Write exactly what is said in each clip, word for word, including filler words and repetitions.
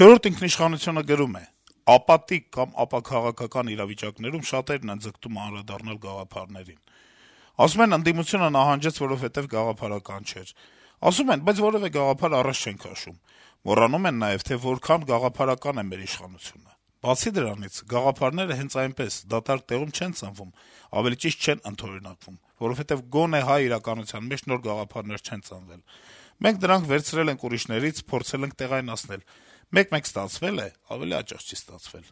«Չորրորդ ինքնիշխանություն»-ը գրում է. - «Ապատիկ կամ ապաքաղաքական իրավիճակներում շատերն են ձգտում անդրադառնալ գաղափարներին։ Ասում են՝ ընդդիմությունը նահանջեց, որովհետեւ գաղափարական չէր։ Ասում են՝ բայց որեւէ գաղափար առաջ չեն քաշում։ Մոռանում են նաեւ, թե որքան գաղափարական է մեր իշխանությունը։ Բացի դրանից, գաղափարները հենց այնպես, դատարկ տեղում չեն ծնվում, ավելի ճիշտ չեն ընդօրինակվում, որովհետեւ գոնե հայ իրականության մեջ նոր գաղափարներ չեն ծնվել։ Մենք դրանք վերցրել ենք ուրիշներից, փորձել ենք տեղայնացնել։ Մեկ-մեկ ստացվել է, ավելի հաճախ չի ստացվել»։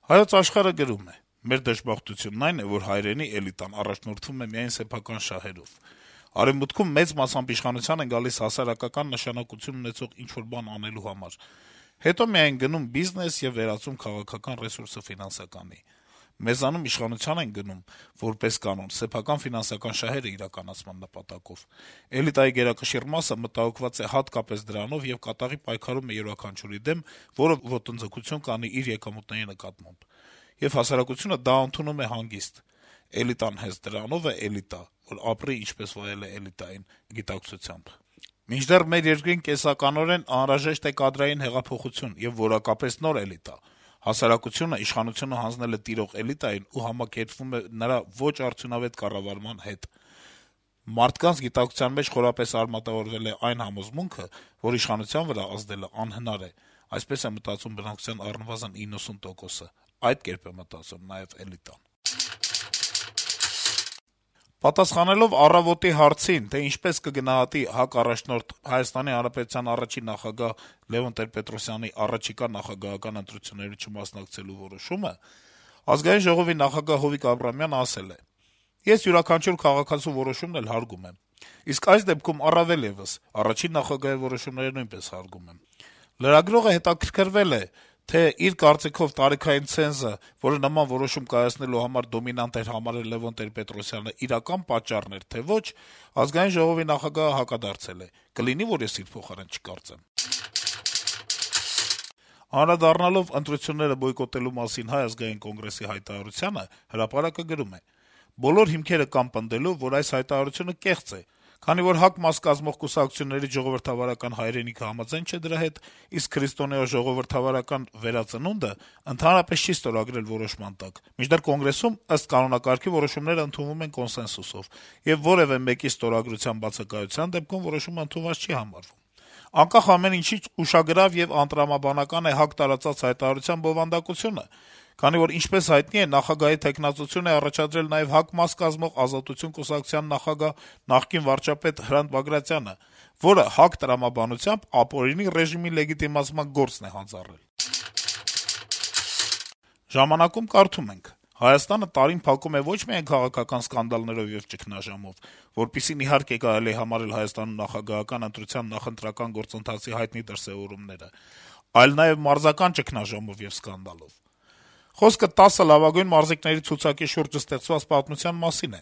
«Հայոց Աշխարհ»-ը գրում է. - «Մեր դժբախտությունն այն է, որ հայրենի էլիտան առաջնորդվում է միայն սեփական շահերով։ Արեւմուտքում մեծ մասամբ իշխանության են գալիս հասարակական նշանակություն ունեցող ինչ-որ բան անելու համար, հետո միայն գնում բիզնես եւ վերածում քաղաքական ռեսուրսը ֆինանսականի։ Մեզանում իշխանության են գնում, որպես կանոն, սեփական ֆինանսական շահերը իրականացման նպատակով։ Էլիտայի գերակշիռ մասը մտահոգված է հատկապես դրանով եւ կատաղի պայքարում է յուրաքանչյուրի դեմ, որը ոտնձգություն կանի իր եկամուտների նկատմամբ։ Եվ հասարակությունը դա ընդունում է հանգիստ։ Էլիտան հենց դրանով է էլիտա, որ ապրի, ինչպես վայել է էլիտային գիտակցությամբ։ Մինչդեռ մեր երկրին կենսականորեն անհրաժեշտ է կադրային հեղափոխություն եւ որակապես նոր էլիտա։ Հասարակությունը իշխանությունը հանձնել է տիրող էլիտային ու համակերպվում է նրա ոչ արդյունավետ կառավարման հետ։ Մարդկանց գիտակցության մեջ խորապես արմատավորվել է այն համոզմունքը, որ իշխանության վրա ազդելը անհնար է։ Այսպես է մտածում բնակչության առնվազն իննսուն տոկոսը։ Այդ կերպ է մտածում նաեւ էլիտան»։ Պատասխանելով «Առավոտ»-ի հարցին, թե ինչպես կգնահատի ՀԱԿ առաջնորդ Հայաստանի Հանրապետության առաջին նախագահ Լեւոն Տեր-Պետրոսյանի առաջիկա նախագահական ընտրությունների չմասնակցելու որոշումը, Ազգային ժողովի նախագահ Հովիկ Աբրահամյանը ասել է. - «Ես յուրաքանչյուր քաղաքացու որոշումն էլ հարգում եմ, իսկ այս դեպքում առավել եւս, առաջին նախագահի որոշումները նույնպես հարգում եմ»։ Լրագրողը հետաքրքրվել է, թե իր կարծիքով տարիքային ցենզը, որը նման որոշում կայացնելու համար դոմինանտ էր համարել Լեւոն Տեր-Պետրոսյանը, իրական պատճառն էր, թե ոչ, Ազգային ժողովի նախագահը հակադարձել է. - «Կլինի, որ ես իր փոխարեն չկարծեմ»։ Անդրադառնալով ընտրությունները բոյկոտելու մասին Հայ ազգային կոնգրեսի հայտարարությանը, «Հրապարակ»-ը գրում է. - «Բոլոր հիմքերը կան պնդելու, որ այս հայտարարությունը կեղծ է, քանի որ ՀԱԿ մաս կազմող կուսակցությունների ժողովրդավարական հայրենիքը համաձայն չէ դրա հետ, իսկ քրիստոնեա ժողովրդավարական վերածնունդը ընդհանրապես չի ստորագրել որոշման տակ, մինչդեռ Կոնգրեսում, ըստ կանոնակարգի, որոշումները ընդունվում են կոնսենսուսով, եւ որեւէ մեկի ստորագրության բացակայության դեպքում որոշումը ընդունված չի համարվում։ Անկախ ամեն ինչից ուշագրավ եւ անտրամաբանական է ՀԱԿ տարածած հայտարարության բովանդակությունը, քանի որ, ինչպես հայտնի է, նախագահի թեկնածություն է առաջադրել նաեւ ՀԱԿ մաս կազմող Ազատություն կուսակցության նախագահ, նախկին վարչապետ Հրանտ Բագրատյանը, որը ՀԱԿ տրամաբանությամբ ապօրինի ռեժիմի լեգիտիմացման գործն է հանձառել»։ «Ժամանակ»-ում կարդում ենք. - «Հայաստանը տարին փակում է ոչ միայն քաղաքական սկանդալներով եւ ճգնաժամով, որպիսին իհարկե կարելի է համարել Հայաստանում նախագահական ընտրության նախընտրական գործընթացի հայտնի դրսեւորումները, այլ նաեւ մարզական ճգնաժամով եւ սկանդալով։ Խոսքը տասը լավագույն մարզիկների ցուցակի շուրջ ստեղծված պատմության մասին է։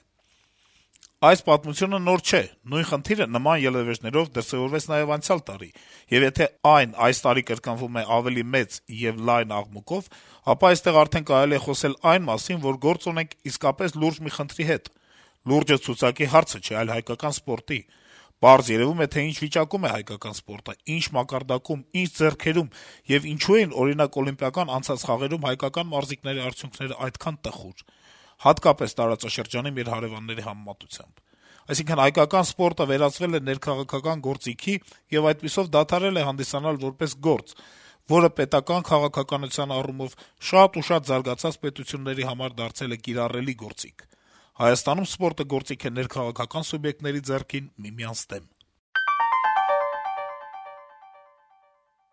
Այս պատմությունը նոր չէ, նույն խնդիրը նման ելեւէջներով դրսեւորվեց նաեւ անցյալ տարի, եւ եթե այն այս տարի կրկնվում է ավելի մեծ եւ լայն աղմուկով, ապա այստեղ արդեն կարելի է խոսել այն մասին, որ գործ ունենք իսկապես լուրջ մի խնդրի հետ։ Լուրջը ցուցակի հարցը չէ, այլ հայկական սպորտի։ Պարզ երեւում է, թե ինչ վիճակում է հայկական սպորտը, ինչ մակարդակում, ինչ ձեռքերում եւ ինչու էին, օրինակ, օլիմպիական անցած խաղերում հայկական մարզիկների արդյունքները այդքան տխուր, հատկապես տարածաշրջանի մեր հարեւանների համեմատությամբ։ Այսինքն՝ հայկական սպորտը վերածվել է ներքաղաքական գործիքի եւ այդպիսով դադարել է հանդիսանալ որպես գործ, որը պետական քաղաքականության առումով շատ ու շատ զարգացած պետությունների համար դարձել է կիրառելի գործիք։ Հայաստանում սպորտը գործիք է ներքաղաքական սուբյեկտների ձեռքին միմյանց դեմ»։